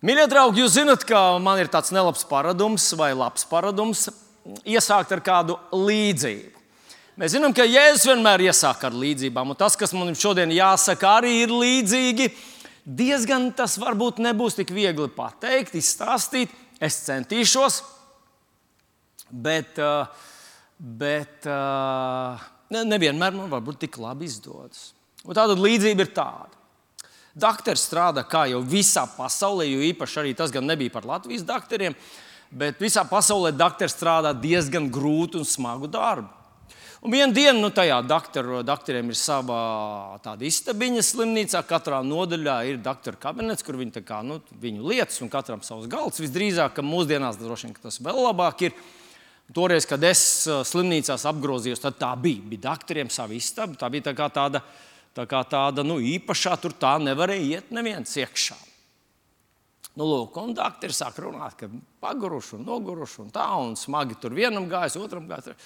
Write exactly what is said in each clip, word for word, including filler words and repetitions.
Mīļie draugi, jūs zināt, ka man ir tāds nelabs paradums vai labs paradums iesākt ar kādu līdzību. Mēs zinām, ka Jēzus vienmēr iesāk ar līdzībām, un tas, kas man šodien jāsaka, arī ir līdzīgi. Diezgan tas varbūt nebūs tik viegli pateikt, izstāstīt. Es centīšos, bet, bet nevienmēr man varbūt tik labi izdodas. Un tāda līdzība ir tāda. Dakteris strādā kā jau visā pasaulē, jo īpaši arī tas gan nebija par Latvijas dakteriem, bet visā pasaulē dakteris strādā diezgan grūtu un smagu darbu. Un vienu dienu nu, tajā dakteru, dakteriem ir sava tāda istabiņa slimnīcā, katrā nodaļā ir dakteru kabinets, kur viņi tā kā, nu, viņu lietas un katram savs galds. Visdrīzāk, ka mūsdienās droši vien tas vēl labāk ir. Toreiz, kad es slimnīcās apgrozījos, tad tā bija. Bija dakteriem sava istaba, tā bija tā kā tāda, tā kā tāda nu, īpašā, tur tā nevarēja iet neviens iekšā. Nu, lūk, un dakteri sāk runāt, ka paguruši un noguruši un tā, un smagi tur vienam gājas, otram gājas.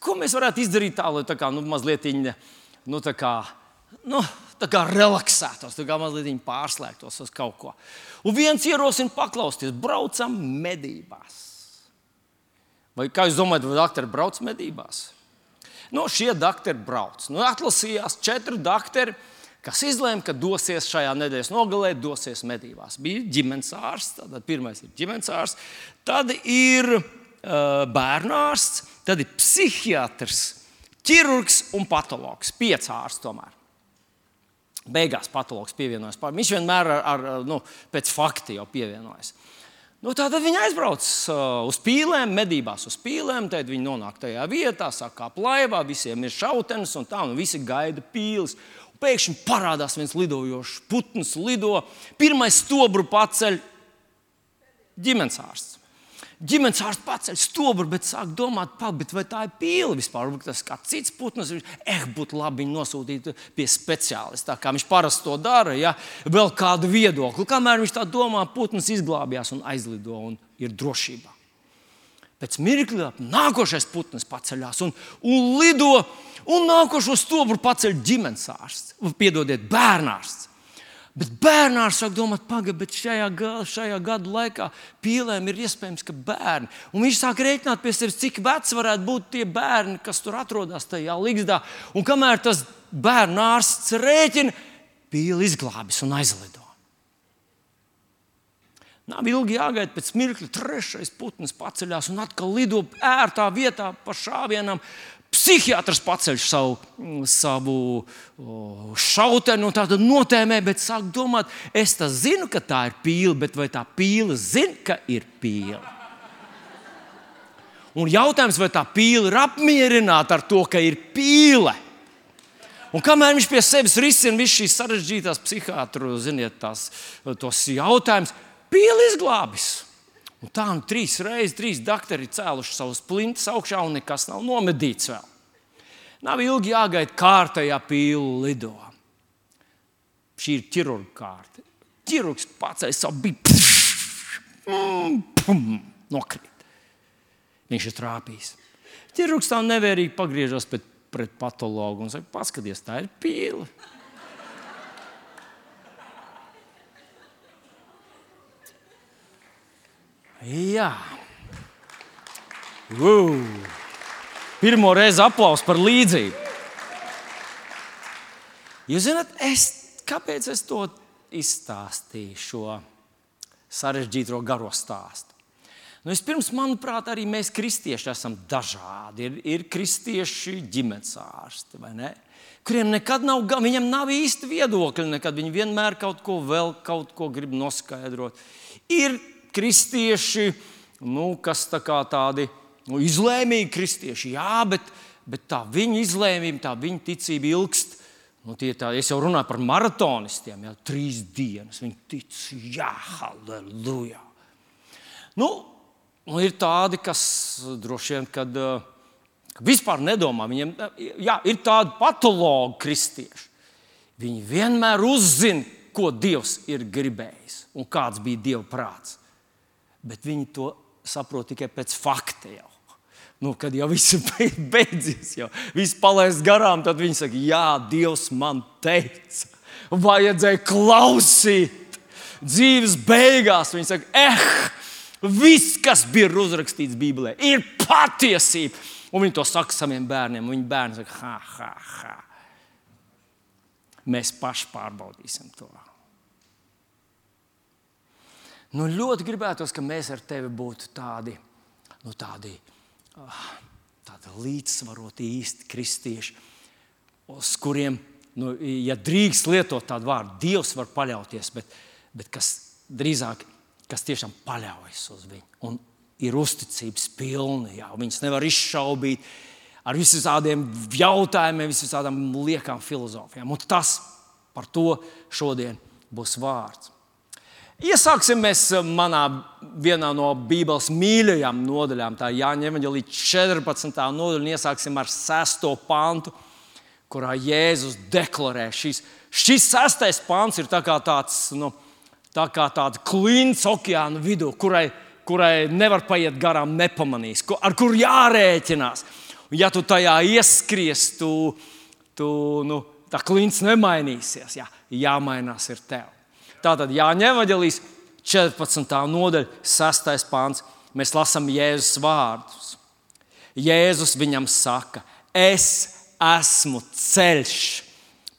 Ko mēs varētu izdarīt tā, lai tā kā, nu, mazliet nu, tā kā, nu, tā kā relaksētos, tā kā mazliet pārslēgtos uz kaut ko. Un viens ierosina paklausties, braucam medībās. Vai kā jūs domājat, vai dakteri brauc medībās? Nu, šie dakteri brauc. Nu, atlasījās četri dakteri, kas izlēma, ka dosies šajā nedēļas nogalē, dosies medībās. Bija ģimenes ārsts, tad pirmais ir ģimenes ārsts, tad ir uh, bērnārsts, tad ir psihiatrs, ķirurgs un patologs. Pieci ārsti tomēr. Beigās patologs pievienojas. Viņš vienmēr ar, ar, nu, pēc fakta jau pievienojas. Nu, tātad viņi aizbrauc uh, uz pīlēm, medībās uz pīlēm, tad viņi nonāk tajā vietā, sāk kāpt laivā, visiem ir šautenes un tā, un visi gaida pīles. Pēkšņi parādās viens lidojošs putns, lido. Pirmais stobru paceļ ģimenes ārsts. Ģimenes ārsts paceļ stobru, bet sāk domāt, bet vai tā ir pīle vispār? Tas kā cits putns, eh, būtu labi viņu nosūtīt pie speciālista, kā viņš parasti to dara, ja? Vēl kādu viedokli. Kamēr viņš tā domā, putns izglābjās un aizlido un ir drošībā. Pēc mirkļa nākošais putns paceļās un, un lido, un nākošo stobru paceļ ģimenes ārsts, piedodiet, bērnārsts. Bet bērnārs sāk domāt, paga, bet šajā, šajā gadu laikā pīlēm ir iespējams, ka bērni. Un viņš sāk rēķināt pie sevis, cik veci varētu būt tie bērni, kas tur atrodas tajā ligzdā. Un kamēr tas bērnārsts rēķina, pīle izglābis un aizlido. Nav ilgi jāgaida, pēc mirkļa trešais putns paceļās un atkal lido ērtā vietā pa šāvienam. Psihiatrs paceļ savu, savu šauteni un tādu notēmē, bet sāk domāt, es tā zinu, ka tā ir pīle, bet vai tā pīle zina, ka ir pīle? Un jautājums, vai tā pīle ir apmierināta ar to, ka ir pīle? Un kamēr viņš pie sevis risina visu šīs sarežģītās psihiatru, ziniet, tās, tos jautājumus, pīle izglābis. Un tā un trīs reizes, trīs dakteri cēluši savus plintus augšā un nekas nav nomedīts vēl. Nav ilgi jāgaida, kārtējā pīle lido. Šī ir ķirurga kārta. Ķirurgs paceļ savu bību. Nokrīt. Viņš ir trāpījis. Ķirurgs tā nevērīgi pagriežas pret, pret patologu un saka, paskaties, tā ir pīle. Jā. Uh. Pirmo reizi aplausu par līdzību. Jūs zināt, es, kāpēc es to izstāstīju, šo sarežģīto garo stāstu? Nu, vispirms, manuprāt, arī mēs kristieši esam dažādi. Ir, ir kristieši ģimenes ārsti, vai ne? Kuriem nekad nav, viņam nav īsti viedokļi, nekad viņi vienmēr kaut ko vēl, kaut ko grib noskaidrot. Ir kristieši, nu, kas tā kā tādi nu, izlēmīgi kristieši, jā, bet, bet tā viņa izlēmība, tā viņa ticība ilgst. Nu, tie tā, es jau runāju par maratonistiem, jā, trīs dienas. Viņi tic, jā, halleluja. Nu, nu, ir tādi, kas droši vien, kad ka vispār nedomā. Viņiem, jā, ir tādi patologi kristieši. Viņi vienmēr uzzina, ko Dievs ir gribējis un kāds bija Dieva prāts. Bet viņi to saprot tikai pēc fakta jau. Nu, kad jau viss ir beidzies, jau viss palaist garām, tad viņi saka, jā, Dievs man teica, vajadzēja klausīt. dzīves beigās viņi saka, eh, viss, kas bija uzrakstīts Bībelē, ir patiesība. Un viņi to saka saviem bērniem, un viņi bērni saka, ha, ha, ha. Mēs paši pārbaudīsim to. Nu, ļoti gribētos, ka mēs ar tevi būtu tādi, nu, tādi, tādi līdzsvaroti īsti kristieši, uz kuriem, nu, ja drīkst lietot tādu vārdu, Dievs var paļauties, bet, bet kas drīzāk, kas tiešām paļaujas uz viņu un ir uzticības pilni, jā, viņas nevar izšaubīt ar visādiem jautājumiem, visādām liekām filozofijām. Un tas par to šodien būs vārds. Iesāksim mēs manā vienā no Bībeles mīļajām nodaļām, tā Jāņa evaņģēlija četrpadsmitā nodaļa, un iesāksim ar sesto pantu, kurā Jēzus deklarē. Šis, šis sestais pants ir tā kā tāds, nu, tā kā tāds klints okeāna vidū, kurai, kurai nevar paiet garām nepamanīs, ar kur jārēķinās. Un ja tu tajā ieskries, tu, tu, nu, tā klints nemainīsies. Jā, jāmainās ir tev. Tātad Jāņa evaņģēlijas četrpadsmitā nodaļa, sestais pants. Mēs lasām Jēzus vārdus. Jēzus viņam saka, es esmu ceļš,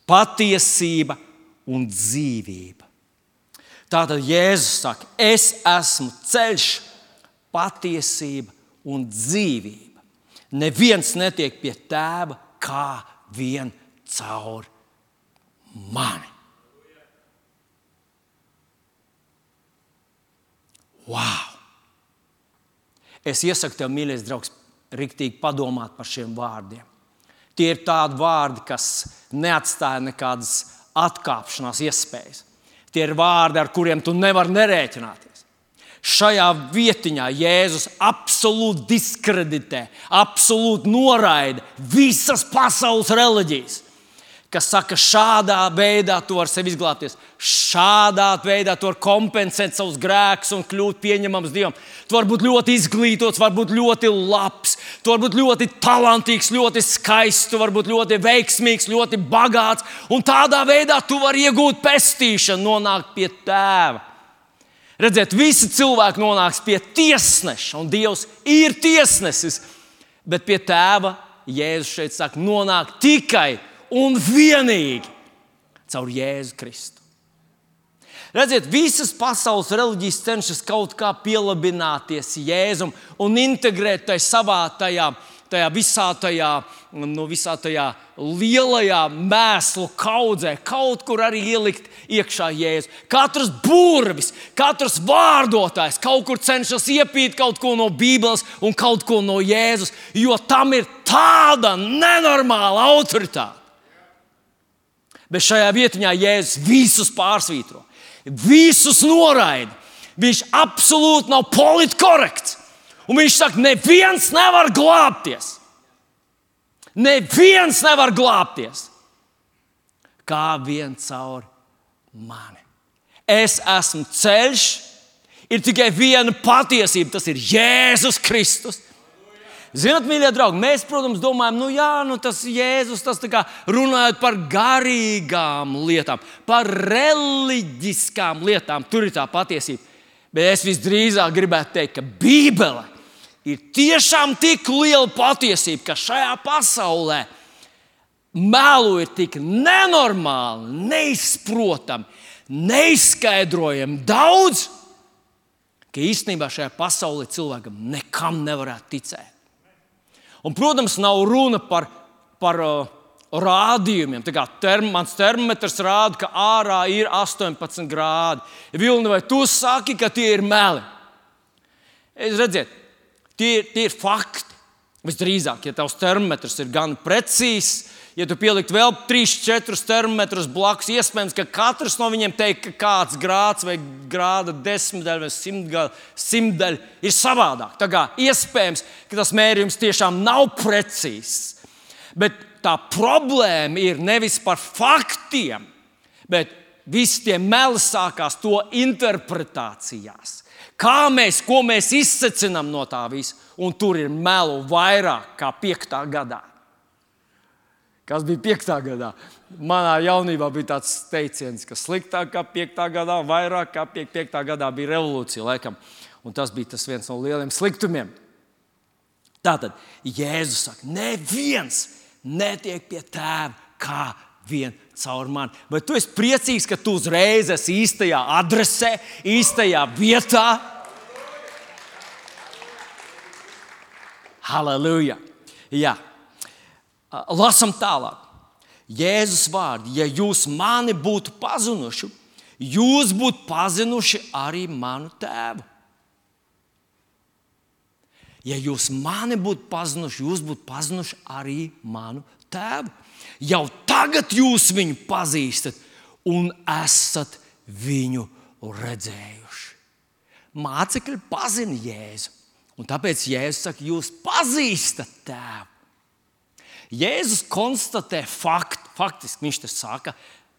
patiesība un dzīvība. Tātad Jēzus saka, es esmu ceļš, patiesība un dzīvība. Neviens netiek pie tēva kā vien caur mani. Wow! Es iesaku tev, mīļais draugs, riktīgi padomāt par šiem vārdiem. Tie ir tādi vārdi, kas neatstāja nekādas atkāpšanās iespējas. Tie ir vārdi, ar kuriem tu nevari nerēķināties. Šajā vietiņā Jēzus absolūti diskreditē, absolūti noraida visas pasaules reliģijas, kas saka, šādā veidā tu vari sevi izglābties, šādā veidā tu vari kompensēt savus grēkus un kļūt pieņemams Dievam. Tu vari būt ļoti izglītots, vari būt ļoti labs, tu vari būt ļoti talantīgs, ļoti skaists, tu vari būt ļoti veiksmīgs, ļoti bagāts, un tādā veidā tu vari iegūt pestīšanu, nonākt pie tēva. Redziet, visi cilvēki nonāks pie tiesneša, un Dievs ir tiesnesis, bet pie tēva Jēzus šeit saka, nonāk tikai un vienīgi caur Jēzu Kristu. Redziet, visas pasaules reliģijas cenšas kaut kā pielabināties Jēzum un integrēt tajā savā tajā, tajā visā tajā, nu, visā tajā lielajā mēslu kaudzē, kaut kur arī ielikt iekšā Jēzu. Katrs burvis, katrs vārdotājs kaut kur cenšas iepīt kaut ko no Bībeles un kaut ko no Jēzus, jo tam ir tāda nenormāla autoritāte. Bet šajā vietiņā Jēzus visus pārsvītro, visus noraida. Viņš absolūti nav politkorekts. Un viņš saka, neviens nevar glābties. Neviens nevar glābties. Kā vien caur mani. Es esmu ceļš, ir tikai viena patiesība, tas ir Jēzus Kristus. Zināt, mīļie draugi, mēs, protams, domājam, nu jā, nu tas Jēzus, tas tā kā runājot par garīgām lietām, par reliģiskām lietām, tur ir tā patiesība. Bet es visdrīzāk gribētu teikt, ka Bībele ir tiešām tik liela patiesība, ka šajā pasaulē melu ir tik nenormāli, neizprotami, neizskaidrojami daudz, ka īstenībā šajā pasaulē cilvēkam nekam nevarētu ticēt. Un, protams, nav runa par, par uh, rādījumiem. Tā kā term, mans termometrs rāda, ka ārā ir astoņpadsmit grādi. Vilni, vai tu saki, ka tie ir meli? Es redziet, tie, tie ir fakti. Visdrīzāk, ja tavs termometrs ir gan precīzs, ja tu pielikt vēl trīs, četrus termometrus blakus, iespējams, ka katrs no viņiem teikt, ka kāds grāds vai grāda desmitdaļa vai simtdaļa, simtdaļa ir savādāk. Tā kā iespējams, ka tas mērījums tiešām nav precīzs. Bet tā problēma ir nevis par faktiem, bet visi tie meli sākās to interpretācijās. Kā mēs, ko mēs izsecinām no tā visa, un tur ir melu vairāk kā piektā gadā. Kas bija piektā gadā? Manā jaunībā bija tāds teiciens, ka sliktāk kā piektā gadā, vairāk kā piektā gadā bija revolūcija, laikam. Un tas bija tas viens no lieliem sliktumiem. Tātad Jēzus saka, neviens netiek pie tēva kā vien caur mani. Vai tu esi priecīgs, ka tu uzreiz esi īstajā adresē, īstajā vietā? Halleluja! Jā. Lasam tālāk. Jēzus vārdi, ja jūs mani būtu pazinuši, jūs būtu pazinuši arī manu tēvu. Ja jūs mani būtu pazinuši, jūs būtu pazinuši arī manu tēvu. Jau tagad jūs viņu pazīstat un esat viņu redzējuši. Mācekļi pazina Jēzu. Un tāpēc Jēzus saka, jūs pazīstat tēvu. Jēzus konstatē faktu. Faktiski viņš te saka,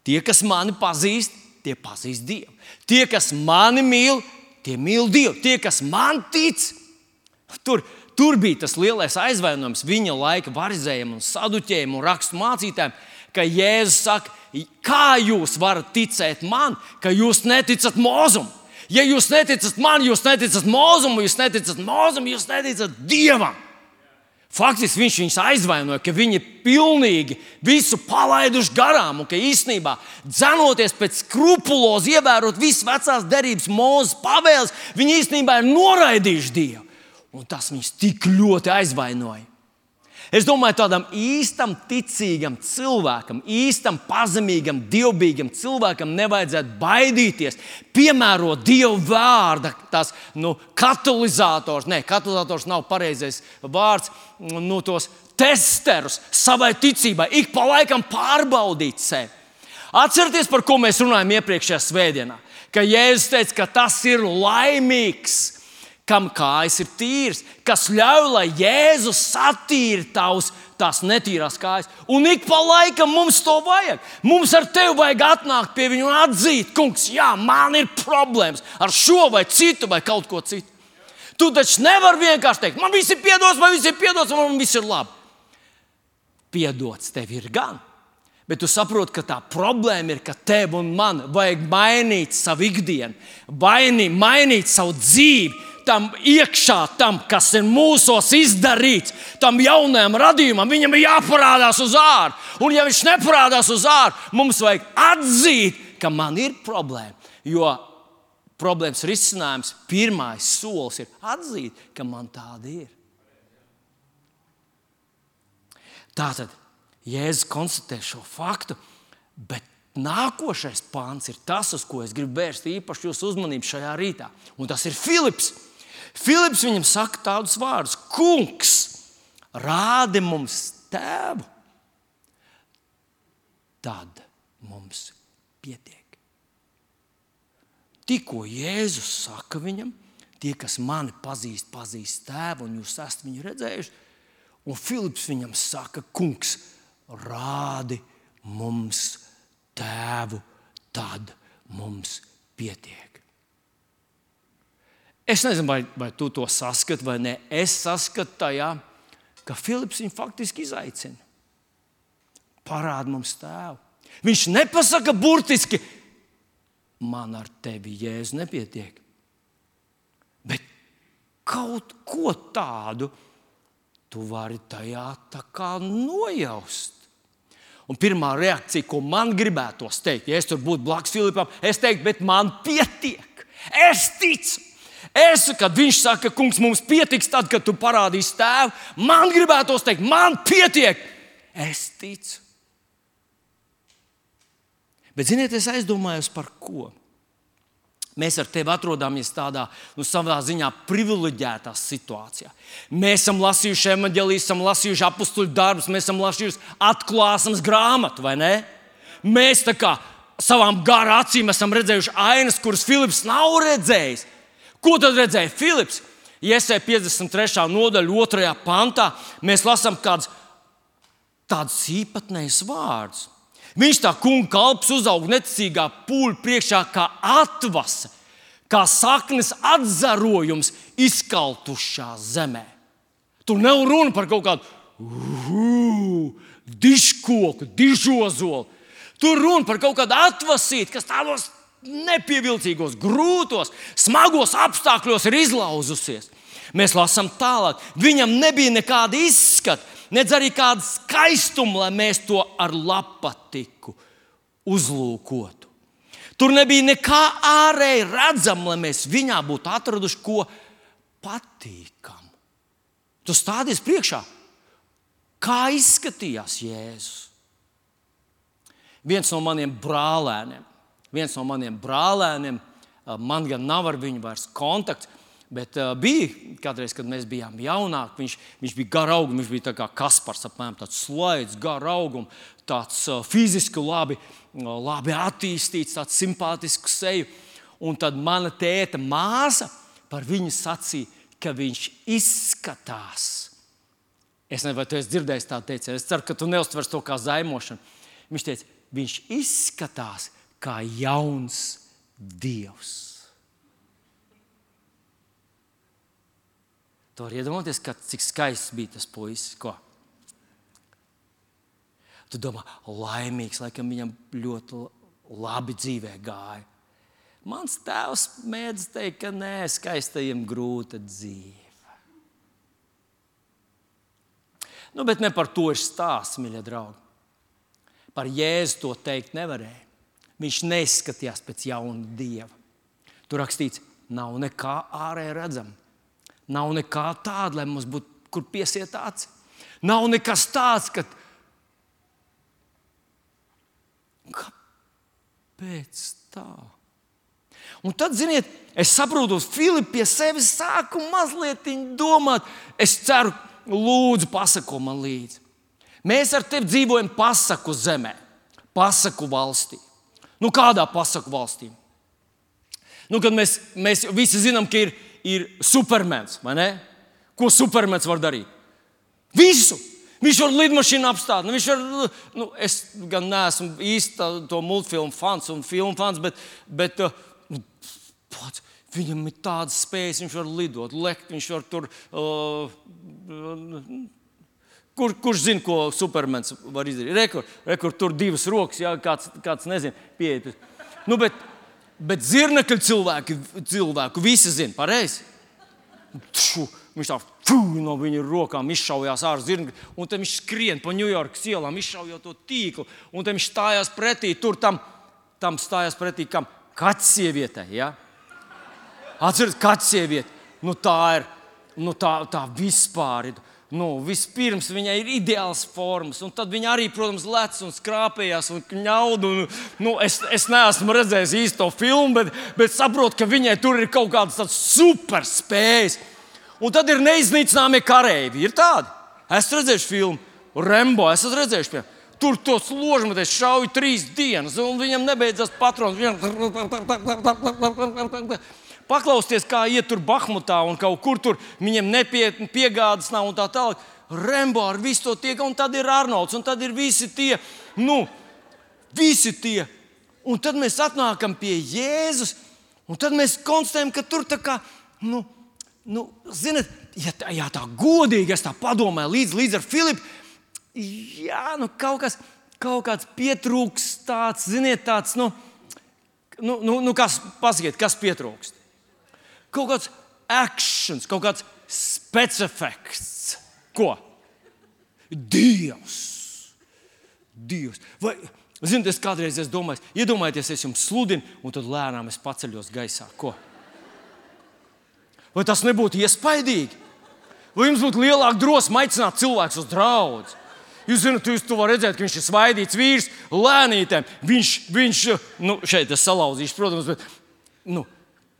tie, kas mani pazīst, tie pazīst Dievu. Tie, kas mani mīl, tie mīl Dievu. Tie, kas man tic, tur, tur bija tas lielais aizvainojums viņa laika varizējiem un saduķējiem un rakstu mācītājiem, ka Jēzus saka, kā jūs varat ticēt man, ka jūs neticat Mozum? Ja jūs neticat man, jūs neticat Mozumu, jūs neticat Mozum, jūs neticat Dievam. Faktiski viņš viņus aizvainoja, ka viņi pilnīgi visu palaiduši garām un ka īstenībā dzenoties pēc skrupulozi ievērot visas vecās derības Mūzes pavēles, viņi īstenībā ir noraidījuši Dievu. Un tas viņus tik ļoti aizvainoja. Es domāju, tādam īstam ticīgam cilvēkam, īstam pazemīgam, dievbijīgam cilvēkam nevajadzētu baidīties, piemērot Dieva vārda, tās nu, katalizators, ne, katalizators nav pareizais vārds, nu, tos testerus savai ticībai, ik pa laikam pārbaudīt sevi. Atcerieties, par ko mēs runājam iepriekšējā svētdienā, ka Jēzus teica, ka tas ir laimīgs, kam kājas ir tīras, kas ļauj, lai Jēzus satīra tavus, tās netīrās kājas. Un ik pa laikam mums to vajag. Mums ar tevi vajag atnākt pie viņa un atzīt, kungs, jā, man ir problēmas ar šo vai citu vai kaut ko citu. Tu taču nevari vienkārši teikt, man viss ir piedots, man viss ir piedots, man viss ir labi. Piedots tev ir gan. Bet tu saproti, ka tā problēma ir, ka tev un man vajag mainīt savu ikdienu, mainīt, mainīt savu dzīvi, tam iekšā, tam, kas ir mūsos izdarīts, tam jaunajam radījumam, viņam ir jāparādās uz ārā. Un ja viņš neparādās uz ārā, mums vajag atzīt, ka man ir problēma. Jo problēmas risinājums, pirmais solis ir atzīt, ka man tāda ir. Tātad Jēzus konstatē šo faktu, bet nākošais pāns ir tas, uz ko es gribu vērst īpaši jūsu uzmanību šajā rītā. Un tas ir Filips. Filips viņam saka tādus vārdus: Kungs, rādi mums tēvu, tad mums pietiek. Tikko Jēzus saka viņam, tie, kas mani pazīst, pazīst tēvu, un jūs esat viņu redzējuši. Un Filips viņam saka, kungs, rādi mums tēvu, tad mums pietiek. Es nezinu, vai, vai tu to saskati vai nē. Es saskatu tajā, ka Filips viņu faktiski izaicina. Parādi mums tēvu. Viņš nepasaka burtiski, man ar tevi, Jēzu, nepietiek. Bet kaut ko tādu tu vari tajā tā kā nojaust. Un pirmā reakcija, ko man gribētos teikt, ja es tur būtu blakus Filipam, es teiktu, bet man pietiek. Es ticu. Es, kad viņš saka, kungs, mums pietiks tad, kad tu parādīsi tēvu, man gribētos teikt, man pietiek. Es ticu. Bet, ziniet, es aizdomājos par ko. Mēs ar tevi atrodamies tādā, nu, savā ziņā privileģētā situācijā. Mēs esam lasījuši evaņģēlijas, esam lasījuši apustuļu darbus, mēs esam lasījuši atklāsmes grāmatu, vai ne? Mēs tā kā savām gara acīm esam redzējuši ainas, kuras Filips nav redzējis. Ko tad redzēja Filips? Jesaja piecdesmit trešā nodaļa, otrajā pantā, mēs lasām kādus tādus īpatnējus vārdus. Viņš tā kunga kalps uzaug neticīgā pūļa priekšā kā atvase, kā saknes atzarojums izkaltušā zemē. Tur nav runa par kaut kādu uh, dižkoku, dižozolu. Tur runa par kaut kādu atvasīti, kas tādos nepievilcīgos, grūtos, smagos apstākļos ir izlauzusies. Mēs lasām tālāk. Viņam nebija nekāda izskata, nedz arī kāda skaistuma, lai mēs to ar lapatiku uzlūkotu. Tur nebija nekā ārēji redzama, lai mēs viņā būtu atraduši ko patīkamu. Tu stādies priekšā, kā izskatījās Jēzus. Viens no maniem brālēniem, viens no maniem brālēniem, man gan nav ar viņu vairs kontakts, bet uh, bija kādreiz, kad mēs bijām jaunāki, viņš, viņš bija garaugs, viņš bija tā kā Kaspars, apmēram tāds slaids, garaugs, tāds uh, fiziski labi, uh, labi attīstīts, tāds simpātisks seju. Un tad mana tēta māsa par viņu sacīja, ka viņš izskatās. Es nezinu, vai tu esi dzirdējis tādu teicienu, es ceru, ka tu neuztvers to kā zaimošanu. Viņš teica, viņš izskatās kā jauns Dievs. Tu vari iedomāties, cik skaists bija tas puisis. Ko? Tu domā, laimīgs, laikam viņam ļoti labi dzīvē gāja. Mans tēvs mēdz teikt, ka nē, skaistajiem grūta dzīve. Nu, bet ne par to ir stāsts, mīļie draugi. Par Jēzu to teikt nevarēja. Viņš neizskatījās pēc jauna Dieva. Tur rakstīts, nav nekā ārēji redzama. Nav nekā tāda, lai mums būtu, kur piesiet aci. Nav nekas tāds, ka... Kāpēc tā? Un tad, ziniet, es saprotu, Filips pie sevis sāku mazliet domāt. Es ceru, lūdzu, pasako man līdzi. Mēs ar tevi dzīvojam pasaku zemē, pasaku valstī. Nu, kādā pasaku valstī? Nu, kad mēs, mēs visi zinām, ka ir ir supermens, vai ne? Ko supermens var darīt? Visu! Viņš var lidmašīnu apstāt. Viņš var, nu, es gan neesmu īsti to multfilmu fans un filmu fans, bet, bet nu, pats, viņam ir tādas spējas, viņš var lidot, lekt, viņš var tur... Uh, kur, kurš zina, ko supermens var izdarīt? Rekur, rekur tur divas rokas, jā, kāds, kāds nezin, pieiet. Nu, bet... Bet zirnekļu cilvēku, cilvēku visi zina, pareizi. Viņš tā fū, no viņa rokām izšaujās ārā zirnekļi, un tad viņš skrien pa Ņujorkas ielām, izšaujot to tīklu, un tad viņš stājās pretī, tur tam, tam stājās pretī, kam kaķis sievietei, ja? Atceries, kaķis sieviete, nu tā ir, nu tā, tā vispār ir. Nu, vispirms viņai ir ideāls formas, un tad viņa arī, protams, lec un skrāpējās un kņaudu. Un, nu, es, es neesmu redzējis īsti to filmu, bet, bet saprotu, ka viņai tur ir kaut kādas tādas super spējas. Un tad ir neiznīcināmie kareivi. Ir tādi. Esmu redzējuši filmu Rembo, esmu redzējuši, piemēram. Tur tos ložmetēs šauj trīs dienas, un viņam nebeidzas patrons. Paklausties, kā iet tur Bahmutā un kaut kur tur viņiem nepietni piegādas nav un tā tālāk. Rembo ar visu to tiek, un tad ir Arnolds, un tad ir visi tie, nu, visi tie. Un tad mēs atnākam pie Jēzus, un tad mēs konstatējam, ka tur tā kā, nu, nu zinat, ja tā, ja tā godīgi, es tā padomāju līdz, līdz ar Filipu, jā, nu, kaut kas, kaut kāds pietrūks tāds, ziniet, tāds, nu, nu, nu, nu kas, pasakiet, kas pietrūkst? Kaut kāds actions, kaut kāds specifekts. Ko? Dievs. Dievs. Vai, ziniet, es kādreiz es domāju, iedomājieties, es jums sludinu, un tad lēnām es paceļos gaisā. Ko? Vai tas nebūtu iespaidīgi? Vai jums būtu lielāka drosme aicināt cilvēkus uz draudzi? Jūs zināt, jūs to varat redzēt, ka viņš ir svaidīts vīrs, lēnītēm. Viņš, viņš, nu, šeit es salauzīšu, protams, bet, nu,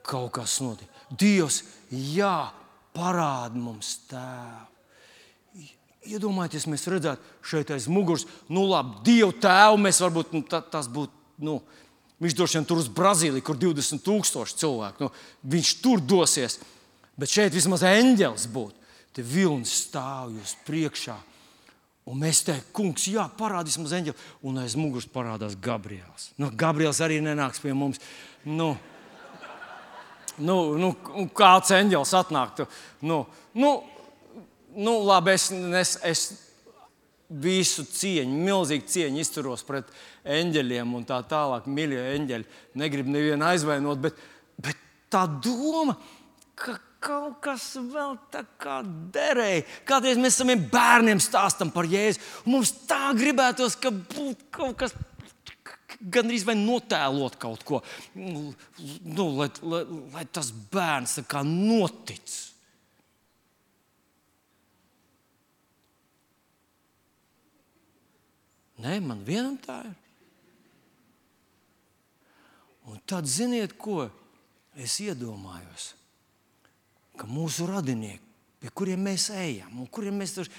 kaut kas notiek. Dievs, jā, parāda mums tēvu. Iedomājieties, mēs redzētu šeit aiz muguras, nu labi, Dievu tēvu mēs varbūt, nu, tā, tas būtu, nu, viņš droši vien tur uz Brazīliju, kur divdesmit tūkstoši cilvēku, nu, viņš tur dosies, bet šeit vismaz eņģelis būtu. Te vilnis stāv jūs priekšā, un mēs teiktu, kungs, jā, parādīs mums eņģeli, un aiz muguras parādās Gabriels. Nu, Gabriels arī nenāks pie mums, nu, Nu, nu, kāds eņģelis atnāktu. Nu, nu, nu, labi, es, es, es, visu cieņu, milzīgu cieņu izturos pret eņģeļiem un tā tālāk. Mīļie eņģeļi, negribu nevienu aizvainot, bet, bet tā doma, ka kaut kas vēl tā kā derēja. Kādreiz mēs saviem bērniem stāstam par Jēzu, un mums tā gribētos, ka būtu kaut kas, gandrīz vai notēlot kaut ko, nu, lai, lai, lai tas bērns tā kā notic. Nē, man vienam tā ir. Un tad ziniet, ko es iedomājos? Ka mūsu radinieki, pie kuriem mēs ejam, un kuriem mēs tur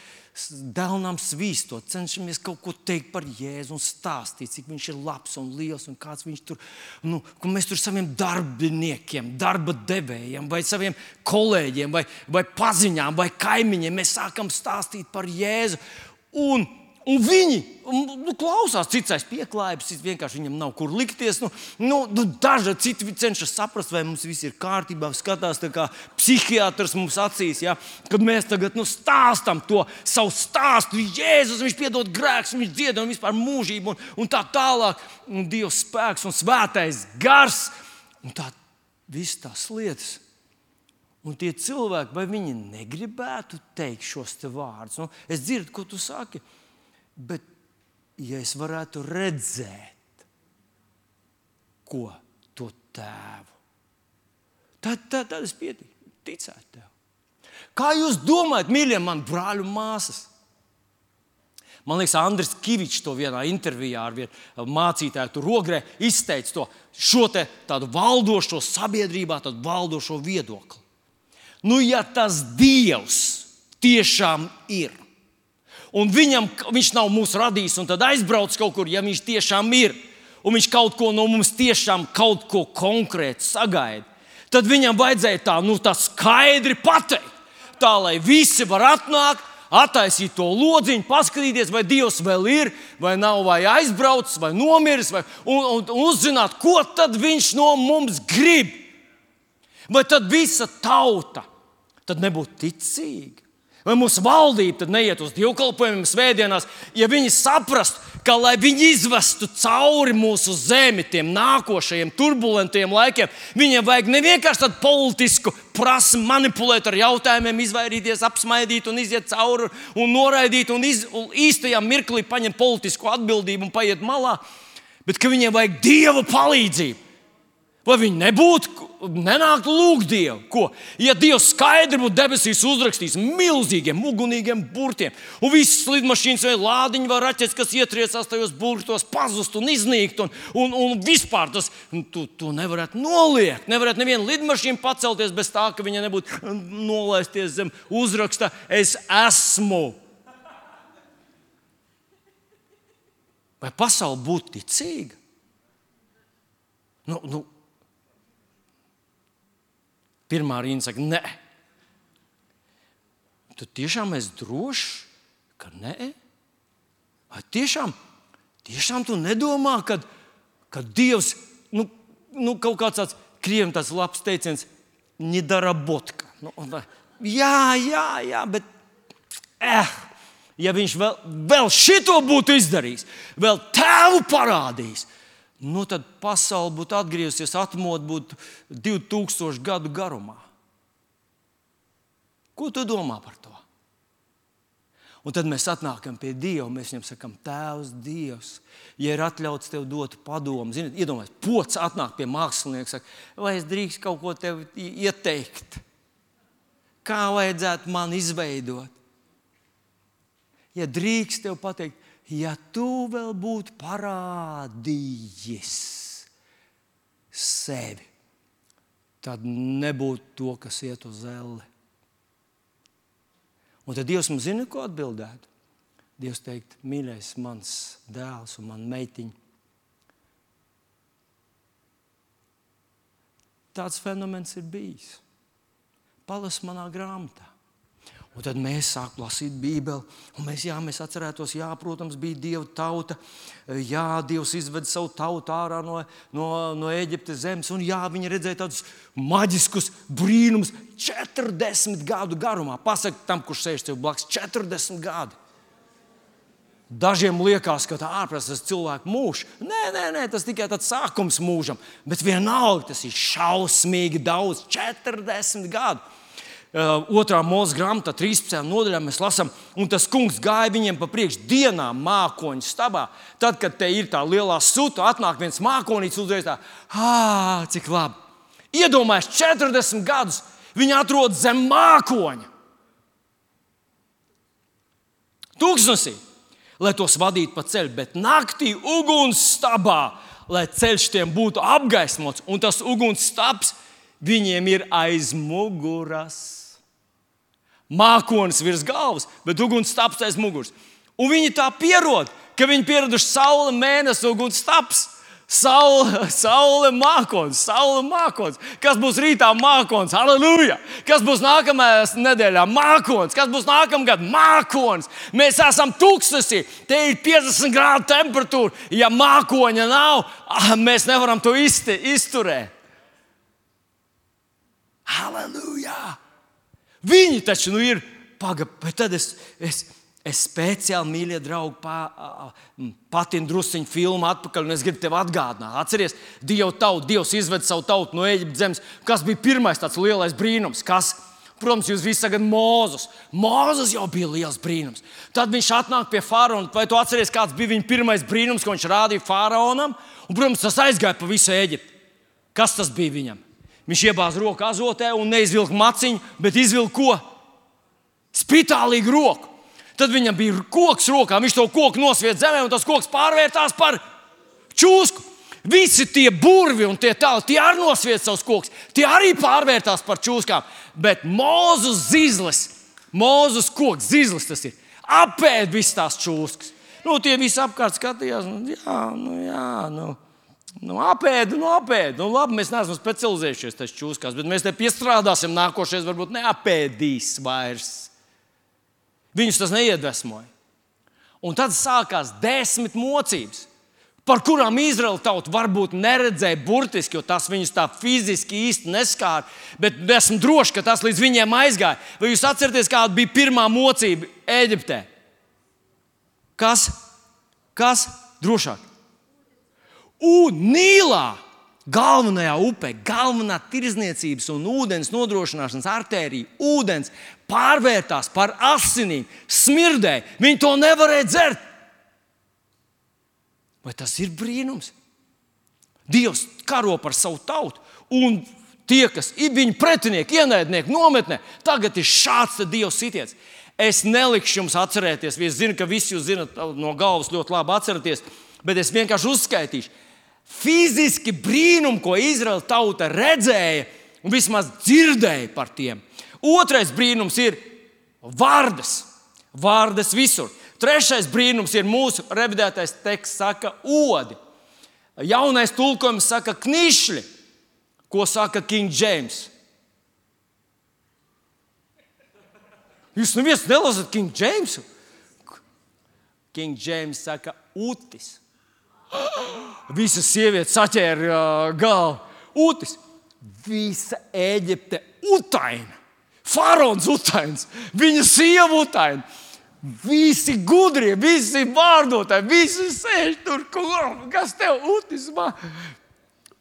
dēlnām svīstot, cenšamies kaut ko teikt par Jēzu un stāstīt, cik viņš ir labs un liels un kāds viņš tur, nu, ka mēs tur saviem darbiniekiem, darba devējiem vai saviem kolēģiem vai, vai paziņām vai kaimiņiem mēs sākam stāstīt par Jēzu. Un Un viņi nu, klausās, cits aiz pieklājības, cits vienkārši viņam nav kur likties. Nu, nu, daži citi cenšas saprast, vai mums viss ir kārtībā, skatās tā kā psihiatrs mums acīs, ja? Kad mēs tagad nu, stāstam to savu stāstu. Jēzus, viņš piedod grēkus, viņš dzied un vispār mūžību un, un tā tālāk. Un Dievs spēks un svētais gars un tā viss tās lietas. Un tie cilvēki, vai viņi negribētu teikt šos te vārdus? Nu, es dzirdu, ko tu saki. Bet, ja es varētu redzēt, ko to tēvu, tad, tad, tad es pietiku, ticētu tev. Kā jūs domājat, mīļie mani brāļi un māsas? Man liekas, Andris Kivičs to vienā intervijā ar vienu mācītāju tur Rogrē izteica to, šo te tādu valdošo sabiedrībā, tādu valdošo viedokli. Nu, ja tas Dievs tiešām ir, un viņam, viņš nav mūs radījis un tad aizbrauc kaut kur, ja viņš tiešām ir, un viņš kaut ko no mums tiešām kaut ko konkrēti sagaida, tad viņam vajadzēja tā, nu, tā skaidri pateikt. Tā, lai visi var atnākt, attaisīt to lodziņu, paskatīties, vai Dievs vēl ir, vai nav, vai aizbraucis, vai nomiris, vai, un, un, un uzzināt, ko tad viņš no mums grib. Vai tad visa tauta tad nebūtu ticīga? Vai mūsu valdība tad neiet uz dievkalpojumiem svētdienās, ja viņi saprastu, ka, lai viņi izvestu cauri mūsu zemi tiem nākošajiem turbulentiem laikiem, viņiem vajag ne vienkārši tādu politisku prasmi manipulēt ar jautājumiem, izvairīties, apsmaidīt un iziet cauri un noraidīt un, iz, un īstajā mirklī paņemt politisku atbildību un paiet malā, bet ka viņiem vajag Dieva palīdzību. Vai viņi nebūtu, nenāktu lūgt Dievu? Ko? Ja Dievs skaidri būtu debesīs uzrakstījis milzīgiem, ugunīgiem burtiem, un visas lidmašīnas vai lādiņu vai raķetes, kas ietriecās tajos burtos, pazust un iznīkt, un, un, un vispār tas, tu, tu nevarētu noliekt. Nevarētu nevienu lidmašīnu pacelties bez tā, ka viņa nebūtu nolaisties zem uzraksta es esmu. Vai pasaule būtu ticīga? Nu, nu, pirmā rinda saka, nē. Tu tiešām esi drošs, ka nē? Vai tiešām, tiešām tu nedomā, ka, ka Dievs, nu, nu kaut kāds tāds, krieviem tāds labs teiciens, nedarabotka. Nu, jā, jā, jā, bet, eh, ja viņš vēl, vēl šito būtu izdarījis, vēl tēvu parādījis, nu tad pasaule būtu atgriezusies, atmodu būtu divu tūkstošu gadu garumā. Ko tu domā par to? Un tad mēs atnākam pie Dieva, mēs viņam sakam, Tēvs, Dievs, ja ir atļauts tev dot padomu. Ziniet, iedomājies, pods atnāk pie mākslinieka, saka, vai es drīkst kaut ko tev ieteikt? Kā vajadzētu man izveidot? Ja drīkst tev pateikt, ja tu vēl būtu parādījis sevi, tad nebūtu to, kas iet uz elli. Un tad Dievs mums zina, ko atbildētu. Dievs teikt, mīļais mans dēls un man meitiņa. Tāds fenomens ir bijis. Palas manā grāmatā. Un tad mēs sākam lasīt Bībeli, un mēs, jā, mēs atcerētos, jā, protams, bija Dieva tauta, jā, Dievs izveda savu tautu ārā no, no, no Ēģiptes zemes, un jā, viņi redzēja tādus maģiskus brīnumus četrdesmit gadu garumā. Pasaka tam, kurš sēž tev blakus, četrdesmit gadi. Dažiem liekas, ka tā ārpus tas cilvēku mūžs. Nē, nē, nē, tas tikai tāds sākums mūžam. Bet vienalga tas ir šausmīgi daudz, četrdesmit gadu. Uh, otrā mūža grāmatā, trīspadsmitajā nodaļā mēs lasām, un tas kungs gāja viņiem pa priekšu dienām mākoņu stabā. Tad, kad te ir tā lielā suta, atnāk viens mākonīts uzreiz tā, ā, cik labi. Iedomājies, četrdesmit gadus viņi atrodas zem mākoņa. Tūkstnesī, lai tos vadītu pa ceļu, bet naktī uguns stabā, lai ceļš tiem būtu apgaismots, un tas uguns stabs viņiem ir aiz muguras. Mākonis virs galvas, bet uguns stabs aiz muguras. Un viņi tā pierod, ka viņi pieraduši saule, mēnesi, uguns stabs. Saule, saule mākonis, saule mākonis. Kas būs rītā mākonis? Halleluja! Kas būs nākamajā nedēļā? Mākonis. Kas būs nākamgad? Mākonis. Mēs esam tūkstnesī. Te ir piecdesmit grādu temperatūra. Ja mākoņa nav, mēs nevaram to izti, izturēt. Halleluja! Viņi taču nu ir pagaidi, bet tad es... es Es speciāli, mīļie draugi, pa, patinu drusciņu filmu atpakaļ, un es gribu tev atgādināt. Atceries, Dievu tautu, Dievs izved savu tautu no Ēģiptes zemes. Kas bija pirmais tāds lielais brīnums? Kas? Protams, jūs visi sagat Mūzes. Mūzes jau bija liels brīnums. Tad viņš atnāk pie faraona. Vai tu atceries, kāds bija viņa pirmais brīnums, ko viņš rādīja faraonam? Un, protams, tas aizgāja pa visu Ēģipti. Kas tas bija viņam? Viņš iebāza roku azotē un neizvilka maciņu, bet izvilka ko? Spitālīgu roku. Tad viņam bija koks rokā, viņš to koku nosvied zemē, un tas koks pārvērtās par čūsku. Visi tie burvi un tie tāli, tie arī nosvied savus kokus, tie arī pārvērtās par čūskām. Bet Mūzes zizlis, Mūzes koks, zizlis tas ir, apēd visas tās čūskas. Nu, tie visi apkārt skatījās, nu, jā, nu, jā, nu, nu apēd, nu, apēd. Nu, labi, mēs neesam specializējušies tās čūskās, bet mēs te piestrādāsim, nākošais varbūt neapēdīs vairs. Viņus tas neiedvesmoja. Un tad sākās desmit mocības, par kurām Izraēla tauta varbūt neredzēja burtiski, jo tas viņus tā fiziski īsti neskāra, bet esmu droši, ka tas līdz viņiem aizgāja. Vai jūs atceraties, kāda bija pirmā mocība Ēģiptē? Kas? Kas? Drošāk. Un Nīlā, galvenajā upē, galvenā tirdzniecības un ūdens nodrošināšanas artērija, ūdens pārvērtās par asinīm, smirdēja. Viņi to nevarēja dzert. Vai tas ir brīnums? Dievs karo par savu tautu, un tie, kas ir viņa pretinieki, ienaidnieki, nometnē, tagad ir šāds Dievs sitiens. Es nelikšu jums atcerēties, es zinu, ka visi jūs zinat no galvas ļoti labi atceraties, bet es vienkārši uzskaitīšu. Fiziski brīnumi, ko Izraēla tauta redzēja un vismaz dzirdēja par tiem. Otrais brīnums ir vārdas. Vārdas visur. Trešais brīnums ir mūsu revidētais teksts, saka odi. Jaunais tulkojums saka knišļi. Ko saka King James? Jūs neviens nelasat King Jamesu? King James saka utis. Visas sievietes saķēra uh, galvu. Utis. Visa Ēģipte utaina. Faraons utains. Viņa sieva utaina. Visi gudrie, visi vārdotāji, visi sēž tur. Kas tev utis?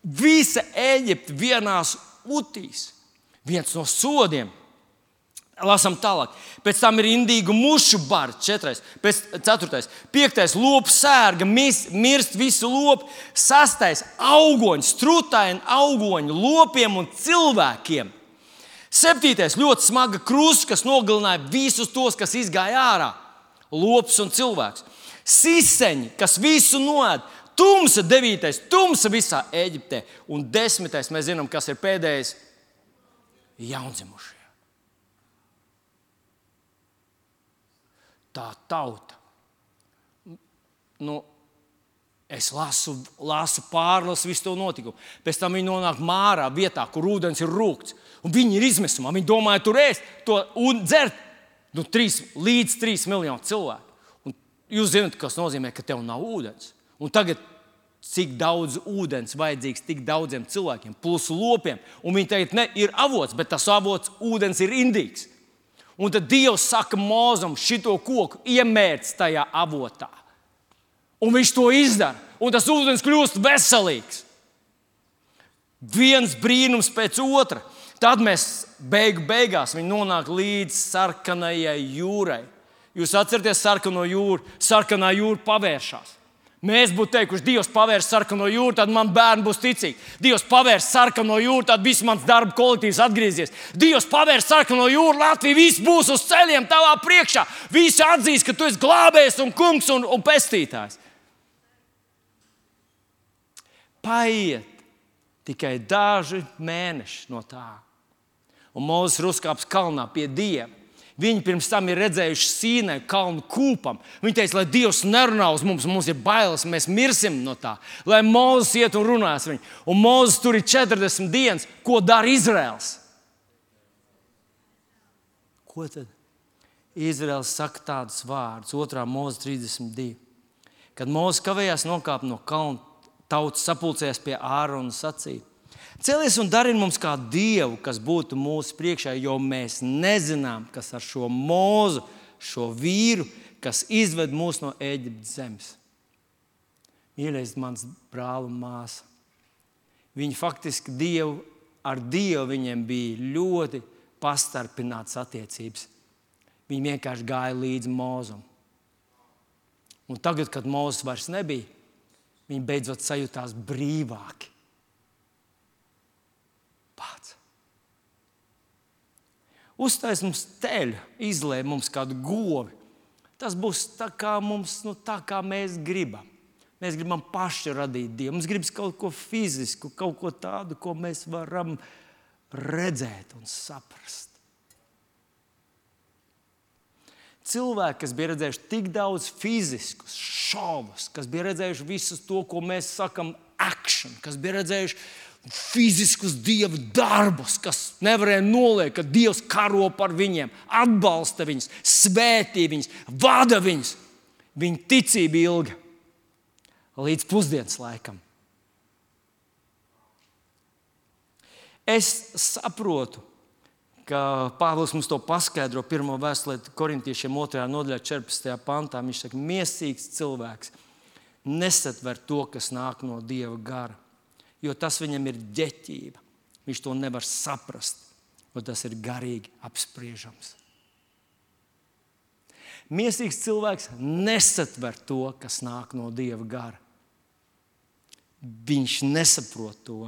Visa Ēģipte vienās utīs. Viens no sodiem. Lasam tālāk. Pēc tam ir indīgu mušu bari, četrais, pēc ceturtais, piektais, lopu sērga, mis, mirst visu lopu, sastais, augoņi, strutaini augoņi, lopiem un cilvēkiem. Septītais, ļoti smaga krusta, kas nogalināja visus tos, kas izgāja ārā, lops un cilvēks. Siseņi, kas visu noēd, tumsa, devītais, tumsa visā Ēģiptē, un desmitais, mēs zinām, kas ir pēdējais, jaundzimušie. Tā tauta. Nu, es lasu, lasu pārlasu visu to notikumu. Pēc tam viņi nonāk Mārā vietā, kur ūdens ir rūgts. Un viņi ir izmisumā. Viņi domāja tur ēst to un dzert. Nu, trīs, līdz trīs miljonu cilvēku. Un jūs zināt, kas nozīmē, ka tev nav ūdens. Un tagad cik daudz ūdens vajadzīgs tik daudziem cilvēkiem, plus lopiem. Un viņi teikt, ne, ir avots, bet tas avots ūdens ir indīgs. Un tad Dievs saka Mūzum, šito koku iemērc tajā avotā. Un viņš to izdara. Un tas ūdens kļūst veselīgs. Viens brīnums pēc otra. Tad mēs beigu beigās viņi nonāk līdz sarkanajai jūrai. Jūs atceraties sarkano jūru? Sarkanā jūra pavēršās. Mēs būtu teikuši, Dievs pavērs sarkano jūru, tad man bērni būs ticīgi. Dievs pavērs sarkano jūru, tad viss mans darba kolektīvs atgriezies. Dievs pavērs sarkano jūru, Latvija viss būs uz ceļiem tavā priekšā. Visi atzīs, ka tu esi glābējs un kungs un, un pestītājs. Paiet tikai daži mēneši no tā. Un Mūzes ir uzkāpis kalnā pie Dieva. Viņi pirms tam ir redzējuši Sīnai kalnu kūpam. Viņi teica, lai Dievs nerunā uz mums, mums ir bailes, mēs mirsim no tā. Lai Mūzes iet un runās viņu. Un Mūzes tur ir četrdesmit dienas. Ko dara Izraels? Ko tad? Izraels saka tādus vārdus, otrā Mūzes trīsdesmit divi. Kad Mūzes kavējās nokāpt no kalna, tauta sapulcējās pie Ārona un sacīja: Celies un dari mums kā dievu, kas būtu mūsu priekšā, jo mēs nezinām, kas ar šo Mūzu, šo vīru, kas izved mūs no Ēģiptes zemes. Mīļais mans brāl un māsa, viņi faktiski dievu, ar Dievu viņiem bija ļoti pastarpinātas attiecības. Viņi vienkārši gāja līdz Mūzum. Un tagad, kad Mūzes vairs nebija, viņi beidzot sajūtās brīvāki. Pats. Uztais mums teļu, izlēj mums kādu govi. Tas būs tā kā, mums, nu, tā kā mēs gribam. Mēs gribam paši radīt Dievu. Mums gribas kaut ko fizisku, kaut ko tādu, ko mēs varam redzēt un saprast. Cilvēki, kas bija redzējuši tik daudz fiziskus šovus, kas bija redzējuši visu to, ko mēs sakam action, kas bija redzējuši fiziskus Dieva darbus, kas nevarēja noliekt, ka Dievs karo par viņiem, atbalsta viņus, svētī viņus, vada viņus. Viņa ticība ilga līdz pusdienas laikam. Es saprotu, ka Pāvils mums to paskaidro pirmo vēstulē korintiešiem otrajā nodaļā četrpadsmitajā pantā. Viņš saka, miesīgs cilvēks nesatver to, kas nāk no Dieva gara, jo tas viņam ir ģeķība. Viņš to nevar saprast, jo tas ir garīgi apspriežams. Miesīgs cilvēks nesatver to, kas nāk no Dieva gara. Viņš nesaprot to.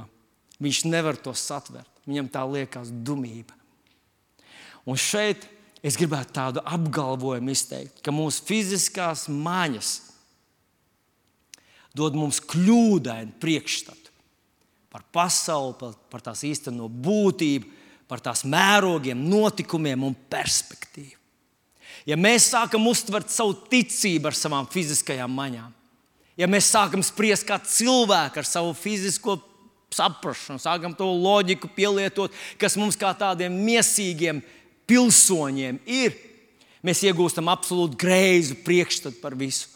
Viņš nevar to satvert. Viņam tā liekas dumība. Un šeit es gribētu tādu apgalvojumu izteikt, ka mūsu fiziskās maņas dod mums kļūdainu priekšstatu par pasauli, par, par tās īsteno būtību, par tās mērogiem, notikumiem un perspektīvu. Ja mēs sākam uztvert savu ticību ar savām fiziskajām maņām, ja mēs sākam spriest kā cilvēki ar savu fizisko saprašanu, sākam to loģiku pielietot, kas mums kā tādiem miesīgiem pilsoņiem ir, mēs iegūstam absolūti greizu priekšstatu par visu.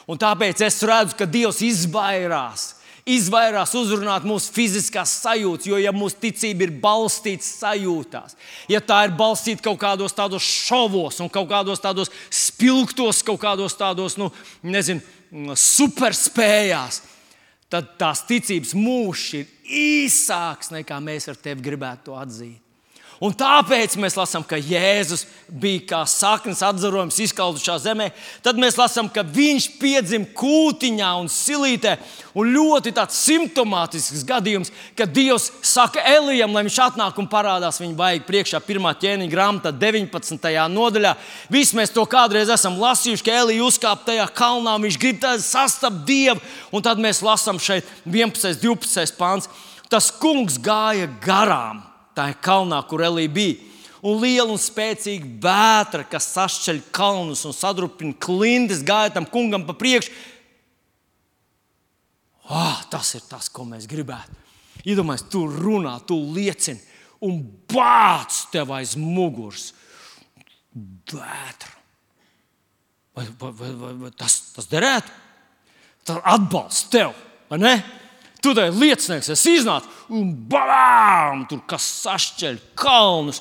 Un tāpēc es redzu, ka Dievs izvairās, izvairās uzrunāt mūsu fiziskās sajūtas, jo ja mūsu ticība ir balstīta sajūtās, ja tā ir balstīta kaut kādos tādos šovos un kaut kādos tādos spilgtos, kaut kādos tādos, nu, nezinu, superspējās, tad tās ticības mūžs ir īsāks, nekā mēs ar tevi gribētu to atzīt. Un tāpēc mēs lasām, ka Jēzus bija kā saknes atzarojums izkaldušā zemē. Tad mēs lasām, ka viņš piedzima kūtiņā un silītē. Un ļoti tāds simptomātisks gadījums, kad Dievs saka Elijam, lai viņš atnāk un parādās viņa vaigu priekšā. Pirmā ķēniņa grāmatā deviņpadsmitajā nodaļā. Visi mēs to kādreiz esam lasījuši, ka Elija uzkāpa tajā kalnā, viņš grib sastapt Dievu. Un tad mēs lasām šeit vienpadsmitais, divpadsmitais pāns. Tas kungs gāja garām. Tā ir kalnā, kur Elija bija. Un liela un spēcīga vētra, kas sašķeļ kalnus un sadrupina klindes, gāja tam kungam pa priekšu. Oh, tas ir tas, ko mēs gribētu. Iedomājies, tu runā, tu liecini un bāc tev aiz muguras vētru. Vai, vai, vai, vai, vai tas, tas derētu? Tas atbalsts tev, vai ne? Tu tai liecinieks, es iznācu un balām, tur kas sašķeļ kalnus.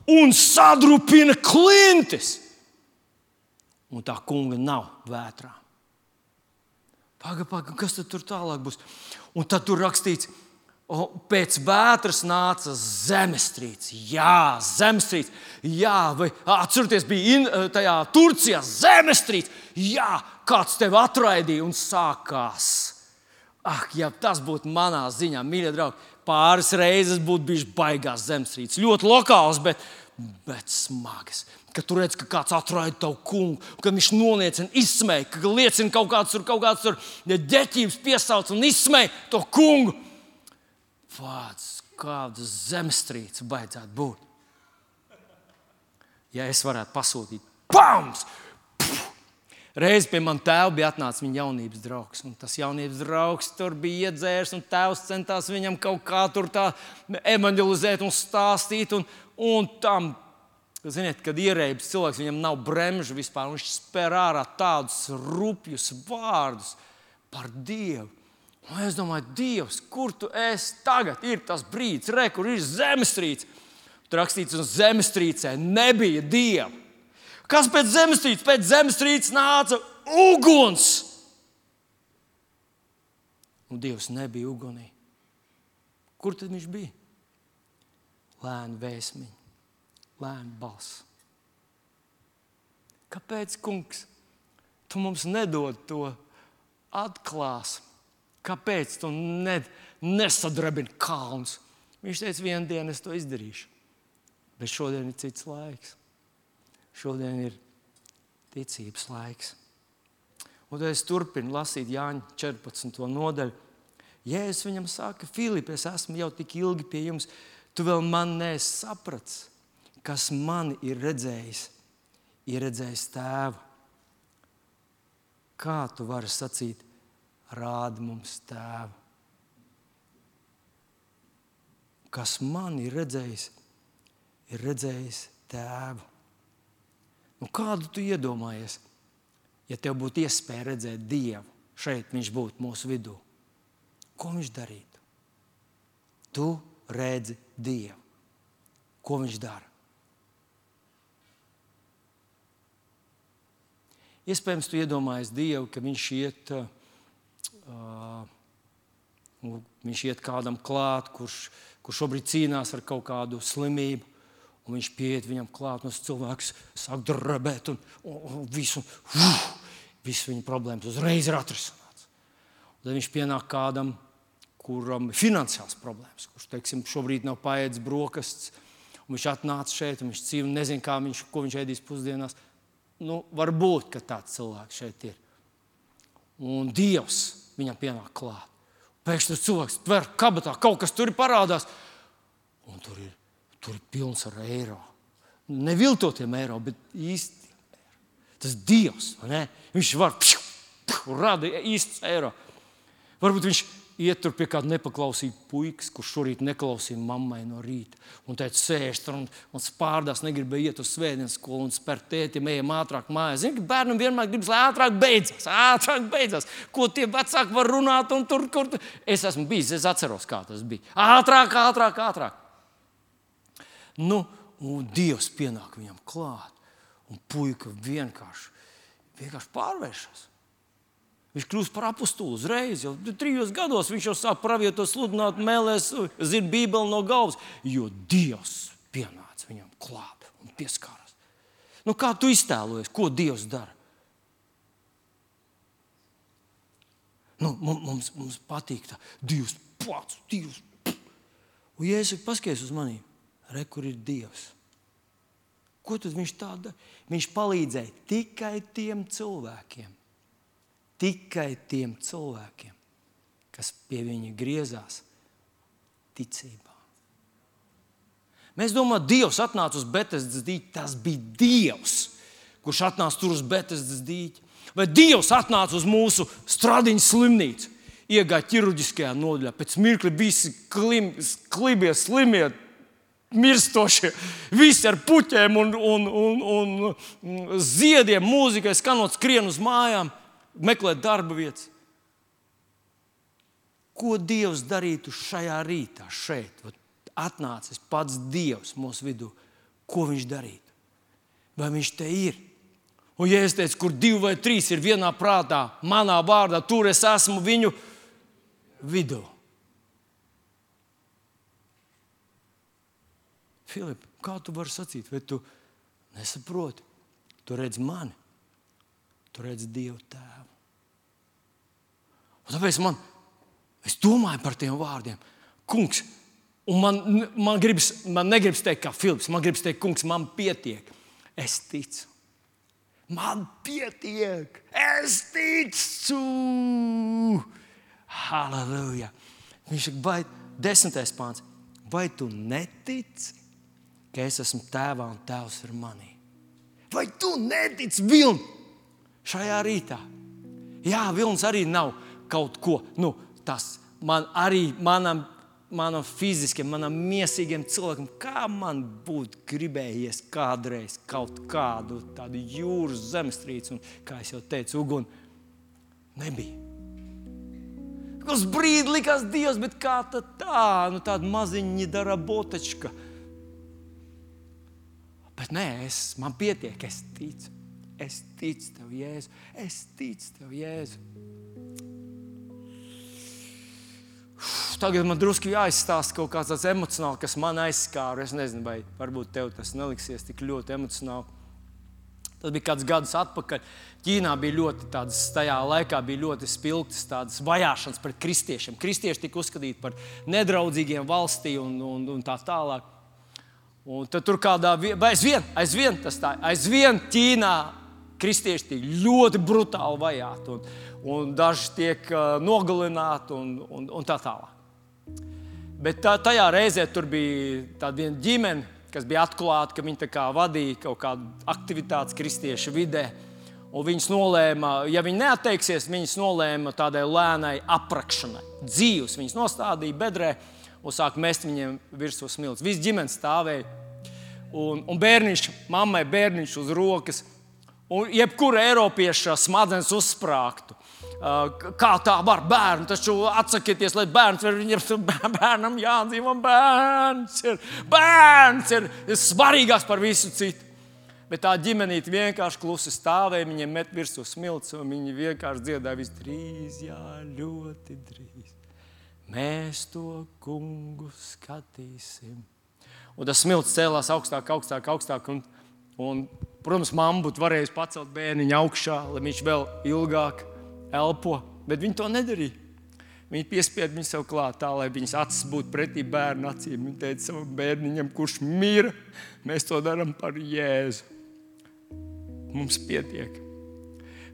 un sadrupina klintis. Un tā kunga nav vētrā. Paga, paga, kas tad tur tālāk būs? Un tad tur rakstīts, o, pēc vētras nāca zemestrīce. Jā, zemestrīce. Jā, vai atcerieties, bija in, tajā Turcijā zemestrīce. Jā, kāds tevi atraidīja un sākās. Ak, ja tas būtu manā ziņā, mīļie draugi, pāris reizes būtu bijuši baigās zemestrīces. Ļoti lokāls, bet, bet smagas. Kad tu redz, ka kāds atraida tavu kungu, kad viņš noliecina, izsmēja, ka liecina kaut kāds tur, kaut kāds tur ģeķības piesauc un izsmēja to kungu. Vāc, kāda zemestrīce baidzētu būt. Ja es varētu pasūtīt, pams! Reiz pie man tēva bija atnācis viņa jaunības draugs. Un tas jaunības draugs tur bija iedzērs, un tēvs centās viņam kaut kā tur tā evanģelizēt un stāstīt. Un, un tam, ziniet, kad ierēbis cilvēks, viņam nav bremžu vispār, un viņš spēr ārā tādus rupjus vārdus par Dievu. Un es domāju, Dievs, kur tu esi tagad? Ir tas brīdis, re, kur ir zemestrīce. Tur rakstīts, un zemestrīcē nebija Dieva. Kas pēc zemestrīces? Pēc zemestrīces nāca uguns. Un Dievs nebija ugunī. Kur tad viņš bija? Lēna vēsmiņa, lēna balss. Kāpēc, kungs, tu mums nedod to atklās? Kāpēc tu ne, nesadrebini kalnus? Viņš teica, vienu dienu es to izdarīšu. Bet šodien ir cits laiks. Šodien ir ticības laiks. Un tad es turpinu lasīt Jāņa četrpadsmito nodaļu. Jēzus viņam saka, Filip, es esmu jau tik ilgi pie jums, tu vēl man neesi sapratis, kas mani ir redzējis, ir redzējis tēvu. Kā tu vari sacīt, rādi mums tēvu? Kas mani ir redzējis, ir redzējis tēvu. Nu, kādu tu iedomājies, ja tev būtu iespēja redzēt Dievu, šeit viņš būtu mūsu vidū? Ko viņš darītu? Tu redzi Dievu. Ko viņš dara? Iespējams, tu iedomājies Dievu, ka viņš iet, uh, viņš iet kādam klāt, kurš, kurš šobrīd cīnās ar kaut kādu slimību. Un viņš pieiet viņam klāt, un cilvēks sāk drebēt, un, un, un visu, uf, visu viņa problēmas uzreiz ir atrisināts. Un tad viņš pienāk kādam, kuram ir finansiāls problēmas, kurš, teiksim, šobrīd nav paēdis brokastis, un viņš atnāca šeit, un viņš cīm, nezin, kā viņš, ko viņš ēdīs pusdienās. Nu, varbūt, ka tāds cilvēks šeit ir. Un Dievs viņam pienāk klāt. Pēkšņi tas cilvēks tver kabatā, kaut kas tur parādās, un tur ir Tur ir pilns ar eiro. Neviltotiem eiro, bet īsti eiro. Tas Dievs, vai ne? Viņš var pšu, pšu, rada īstus eiro. Varbūt viņš iet tur pie kāda nepaklausīga puikas, kurš šorīt neklausīja mammai no rīta. Un teica, sēž tur un, un spārdās, negribēja iet uz svētdienas skolu un spēr tētim, ejam ātrāk mājās. Zini, ka bērnam vienmēr gribas, lai ātrāk beidzās, ātrāk beidzās. Ko tie vecāki var runāt un tur, kur tur. Es esmu bijis, es atceros, kā tas bija. Ātrāk, ātrāk, ātrāk. Nu, un Dievs pienāk viņam klāt, un puika vienkārši, vienkārši pārvēršas. Viņš kļūst par apostulu uzreiz, jau trijos gados viņš jau sāk pravietot, sludināt, mēlēs, zina Bībeli no galvas, jo Dievs pienāca viņam klāt un pieskārās. Nu, kā tu iztēlojies, ko Dievs dara? Nu, mums, mums patīk tā, Dievs pats, Dievs. Un ja es paskaties uz manīm, re, kur ir Dievs. Ko tad viņš tā dara? Viņš palīdzēja tikai tiem cilvēkiem, tikai tiem cilvēkiem, kas pie viņa griezās ticībā. Mēs domājam, Dievs atnāca uz Betesdas dīķi. Tas bija Dievs, kurš atnāca tur uz Betesdas dīķi. Vai Dievs atnāca uz mūsu Stradiņu slimnīcu, iegāja ķirurģiskajā nodaļā. Pēc mirkļa visi klim, klibie, slimie, mirstošie, visi ar puķēm un, un, un, un ziediem, mūzikai skanot, skrien uz mājām, meklēt darba vietas. Ko Dievs darītu šajā rītā, šeit? Atnācis pats Dievs mūsu vidū, ko viņš darītu? Vai viņš te ir? Un ja es teicu, kur divi vai trīs ir vienā prātā, manā vārdā, tur es esmu viņu vidū. Filip, kā tu vari sacīt? Vai tu nesaproti? Tu redz mani. Tu redz Dievu tēvu. Un tāpēc man, es domāju par tiem vārdiem. Kungs, un man, man, gribas, man negribas teikt kā Filips, man gribas teikt, kungs, man pietiek. Es ticu. Man pietiek. Es ticu. Halleluja. Viņš saka, vai desmitais pāns, vai tu netici, ka es esmu tēvā un tēvs ir manī? Vai tu netici, Vilni, šajā rītā? Jā, Vilnis arī nav kaut ko, nu, tas man arī, manam, manam fiziskiem, manam miesīgiem cilvēkam, kā man būtu gribējies kādreiz kaut kādu tādu jūras zemestrīci, un, kā es jau teicu, uguni nebija. Uz brīdi likās Dievs, bet kā tad tā, nu tāda maziņa dara botečka. Bet nē, es, man pietiek, es ticu. Es ticu Tev, Jēzu. Es ticu Tev, Jēzu. Tagad man drusku jāizstāsta kaut kāds tāds emocionāli, kas man aizskāra. Es nezinu, vai varbūt tev tas neliksies tik ļoti emocionāli. Tas bija kāds gadus atpakaļ. Ķīnā bija ļoti tādas, tajā laikā bija ļoti spilgtas tādas vajāšanas pret kristiešiem. Kristieši tika uzskatīti par nedraudzīgiem valstī un, un, un tā tālāk. Un tad tur kādā, aizvien, aizvien tas tā, aizvien Ķīnā kristieši tiek ļoti brutāli vajāti un, un daži tiek uh, nogalināti un, un, un tā tālāk. Bet tā, tajā reizē tur bija tāda viena ģimene, kas bija atklāta, ka viņi tā kā vadīja kaut kādu aktivitātes kristiešu vidē. Un viņas nolēma, ja viņi neatteiksies, viņas nolēma tādai lēnai aprakšanai. Dzīvus viņas nostādīja bedrē un sāk mest viņiem virsū smilts. Viss ģimene stāvēja. Un, un bērniņš, mammai bērniņš uz rokas. Un jebkura eiropieša smadzenes uzsprāgtu. Kā tā var bērnu, taču atsakieties, lai bērns var, viņam bērnam jādzīvo, bērns ir, bērns ir, ir svarīgāks par visu citu. Bet tā ģimenīte vienkārši klusi stāvēja, viņiem met virsū smilts, un viņi vienkārši dziedāja visdrīz, jā, ļoti drīz. Mēs to kungu skatīsim. Un tas smilts cēlās augstāk, augstāk, augstāk, un, un protams, mamma būtu varējusi pacelt bērniņu augšā, lai viņš vēl ilgāk elpo, bet viņi to nedarīja. Viņi piespieda viņu sev klāt tā, lai viņas acis būtu pretī bērnu acīm. Viņi teica savam bērniņam, kurš mira, mēs to darām par Jēzu. Mums pietiek.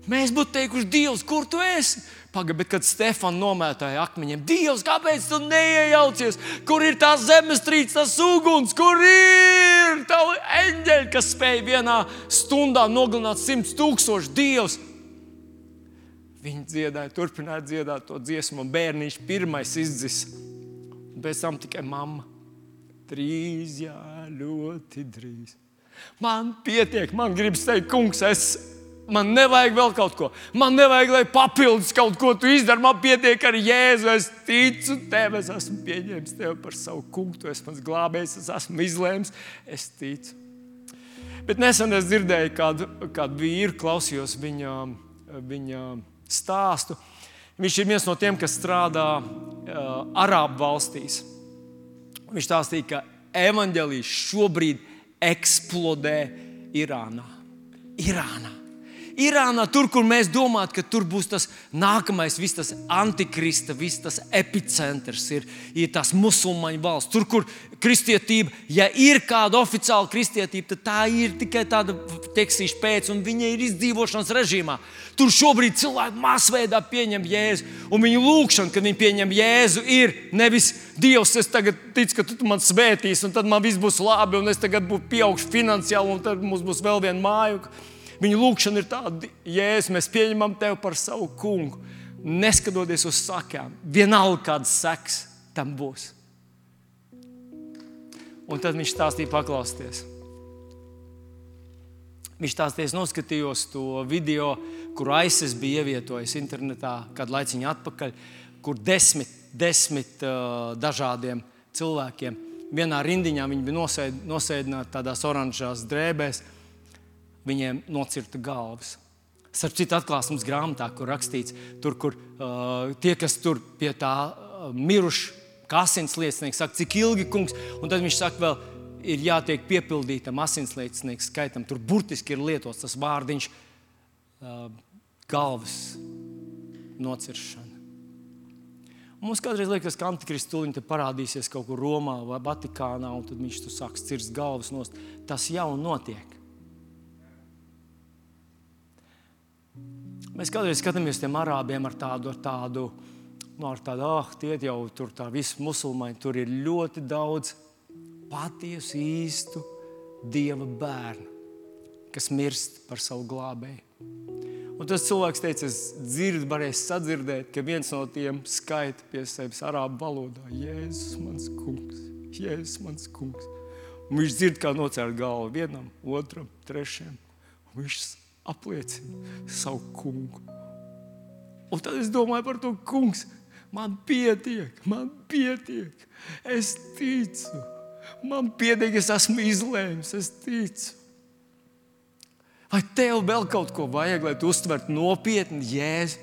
Mēs būtu teikuši, Dievs, kur tu esi? Paga, bet kad Stefan nomētāja akmeņiem, Dievs, kāpēc tu neiejaucies? Kur ir tās zemestrīces, tas uguns? Kur ir tavi eņģeļi, kas spēja vienā stundā nogalināt simts tūkstoši? Dievs! Viņi dziedāja, turpināja dziedāt to dziesmu, un bērniņš pirmais izdzis. Un pēc tam tikai mamma. Drīz, jā, ļoti drīz. Man pietiek, man gribas teikt, kungs, es, man nevajag vēl kaut ko. Man nevajag, lai papildus kaut ko tu izdari. Man pietiek ar Jēzu, es ticu Tev, es esmu pieņēmis Tev par savu kungu, Tu esi mans glābējs, es esmu izlēms, es ticu. Bet nesen es dzirdēju kādu, kādu vīru, klausījos viņa, viņa stāstu. Viņš ir viens no tiem, kas strādā uh, Arābu valstīs. Viņš stāstīja, ka evaņģēlijs šobrīd eksplodē Irānā. Irānā. Irānā, tur, kur mēs domājam, ka tur būs tas nākamais, viss tas antikrista, viss tas epicentrs, ir, ir tās musulmaņu valsts. Tur, kur kristietība, ja ir kāda oficiāla kristietība, tad tā ir tikai tāda tekstīša pēc, un viņa ir izdzīvošanas režīmā. Tur šobrīd cilvēki masveidā pieņem Jēzu, un viņu lūkšana, kad viņi pieņem Jēzu, ir nevis Dievs, es tagad ticu, ka Tu man svētīsi, un tad man viss būs labi, un es tagad būšu pieaugšu finansiāli, un tad mums būs vēl viena māju. Viņa lūkšana ir tāda, Jēzus, mēs pieņemam Tev par savu kungu, neskatoties uz sakām. Vienalga kāds seks tam būs. Un tad viņš stāstīja, paklausties. Viņš stāstīja, noskatījos to video, kur ISIS bija ievietojis internetā kādu laiciņu atpakaļ, kur desmit, desmit uh, dažādiem cilvēkiem vienā rindiņā viņi bija nosēd, nosēdināti tādās oranžās drēbēs, viņiem nocirta galvas. Starp citu atklāsmes grāmatā, kur rakstīts, tur, kur uh, tie, kas tur pie tā uh, miruši, kā asinsliecinieks, saka, cik ilgi, kungs, un tad viņš saka, vēl ir jātiek piepildītam asinsliecinieku skaitam. Tur burtiski ir lietots tas vārdiņš uh, galvas nociršana. Un mums kādreiz liekas, ka Antikrists tuliņ te parādīsies kaut kur Romā vai Vatikānā, un tad viņš tu sāks cirst galvas nost. Tas jau notiek. Mēs kādreiz skatāmies tiem arābiem ar tādu, ar tādu, nu, ar tādu, ah, tie jau tur tā visi musulmaņi, tur ir ļoti daudz patiesu, īstu Dieva bērnu, kas mirst par savu glābēju. Un tas cilvēks teica, es dzirdu, varēju sadzirdēt, ka viens no tiem skaita pie sevis arābu valodā. Jēzus, mans kungs, Jēzus, mans kungs. Un viņš dzird, kā nocērt galvu vienam, otram, trešajam. Un viņš apliecina savu kungu. Un tad es domāju par to, kungs, man pietiek, man pietiek. Es ticu, man pietiek, es esmu izlēmis, es ticu. Vai tev vēl kaut ko vajag, lai tu uztvertu nopietni Jēzu?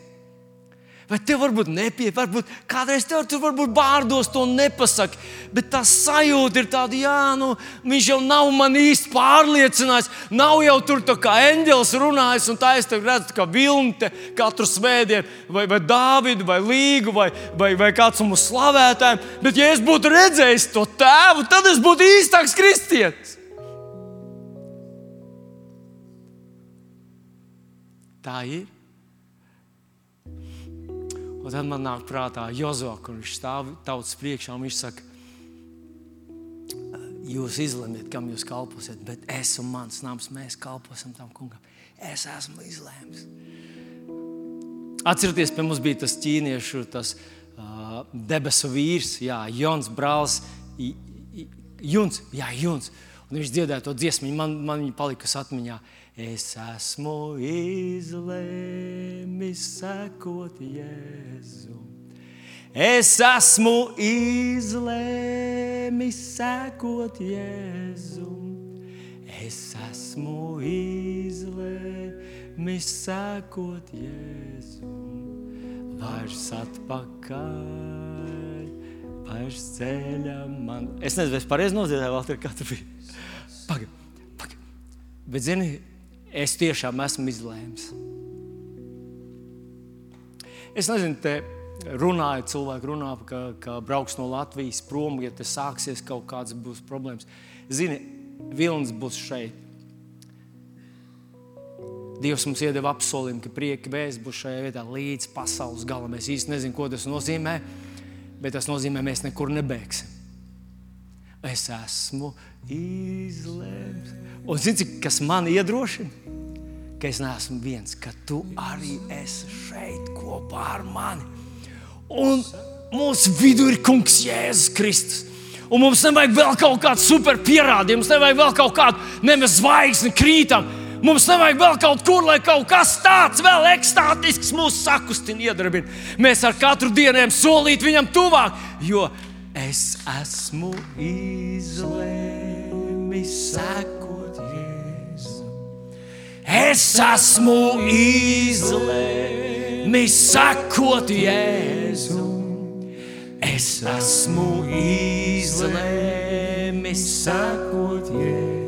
Vai tev varbūt nepietiek, varbūt kādreiz tev tur varbūt vārdos to nepasaka, bet tā sajūta ir tāda, jā, nu, viņš jau nav man īsti pārliecinājis, nav jau tur tā kā eņģelis runājis, un tā es tev redzu kā Vilni katru svētdienu, vai, vai Dāvidu, vai Līgu, vai, vai, vai kāds no mūsu slavētājiem, bet ja es būtu redzējis to tēvu, tad es būtu īstāks kristietis. Tā ir. Un tad man nāk prātā Jozo, kur viņš stāv tautas priekšā, un viņš saka, jūs izlemiet, kam jūs kalposiet, bet es un mans nams, mēs kalposim tam kungam. Es esmu izlēmis. Atcerieties, pie mums bija tas ķīniešu, tas uh, debesu vīrs, jā, Jons brālis, Juns, jā, Juns. Un viņš dziedāja to dziesmu, man, man viņa palikas atmiņā. Es esmu izlēmis sekot Jēzu. Es esmu izlēmis sekot Jēzu. Es esmu izlēmis sekot Jēzu. Vairs atpakaļ, vairs ceļa man. Es nezinu, es pareizi nodziedāju, Valter, kā tu biji. Pagad, pagad. Bet zini, es tiešām esmu izlēmis. Es nezinu, te runāju, cilvēki runā, ka, ka brauks no Latvijas prom, ja te sāksies kaut kāds būs problēmas. Zini, Vilnis būs šeit. Dievs mums iedeva apsolījumu, ka prieka vēsts būs šajā vietā līdz pasaules galam. Es īsti nezinu, ko tas nozīmē, bet tas nozīmē, mēs nekur nebēgsim. Es esmu izlēmis. Un zini, kas man iedrošina? Ka es neesmu viens, ka tu arī esi šeit kopā ar mani. Un mūsu vidū ir kungs Jēzus Kristus. Un mums nevajag vēl kaut kādu super pierādījumu, mums nevajag vēl kaut kādu nemaz zvaigzni krītam. Mums nevajag vēl kaut kur, lai kaut kas tāds vēl ekstātisks mūsu sakustina iedarbina. Mēs ar katru dieniem solīt viņam tuvāk, jo es esmu izlēmis sekot Jēzu. Es esmu izlēmis sekot Jēzu. Es esmu izlēmis sekot Jēzu.